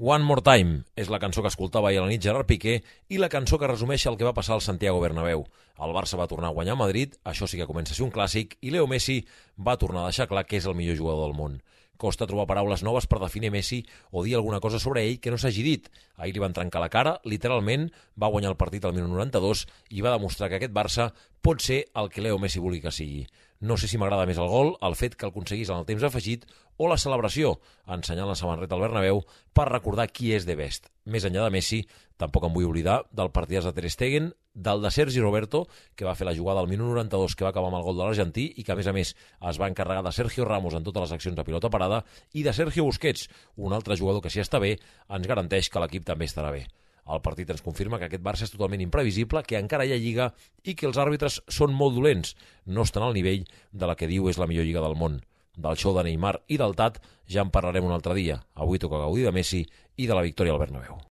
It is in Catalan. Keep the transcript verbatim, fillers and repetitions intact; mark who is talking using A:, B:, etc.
A: One More Time és la cançó que escoltava ahir a la nit Gerard Piqué i la cançó que resumeix el que va passar al Santiago Bernabéu. El Barça va tornar a guanyar a Madrid, això sí que comença a ser un clàssic, i Leo Messi va tornar a deixar clar que és el millor jugador del món. Costa trobar paraules noves per definir Messi o dir alguna cosa sobre ell que no s'hagi dit. Ahir li van trencar la cara, literalment, va guanyar el partit al minut noranta-dos i va demostrar que aquest Barça pot ser el que Leo Messi vulgui que sigui. No sé si m'agrada més el gol, el fet que el aconseguís en el temps afegit, o la celebració, ensenyant la samarreta al Bernabéu per recordar qui és de best. Més enllà de Messi, tampoc em vull oblidar del partidàs de Ter Stegen, del de Sergi Roberto, que va fer la jugada al minut noranta-dos que va acabar amb el gol de l'Argentí i que, a més a més, es va encarregar de Sergio Ramos en totes les accions de pilota parada i de Sergio Busquets, un altre jugador que, si està bé, ens garanteix que l'equip també estarà bé. El partit ens confirma que aquest Barça és totalment imprevisible, que encara hi ha lliga i que els àrbitres són molt dolents. No estan al nivell de la que diu és la millor lliga del món. Del show de Neymar i del Tat ja en parlarem un altre dia. Avui toca gaudir de Messi i de la victòria al Bernabéu.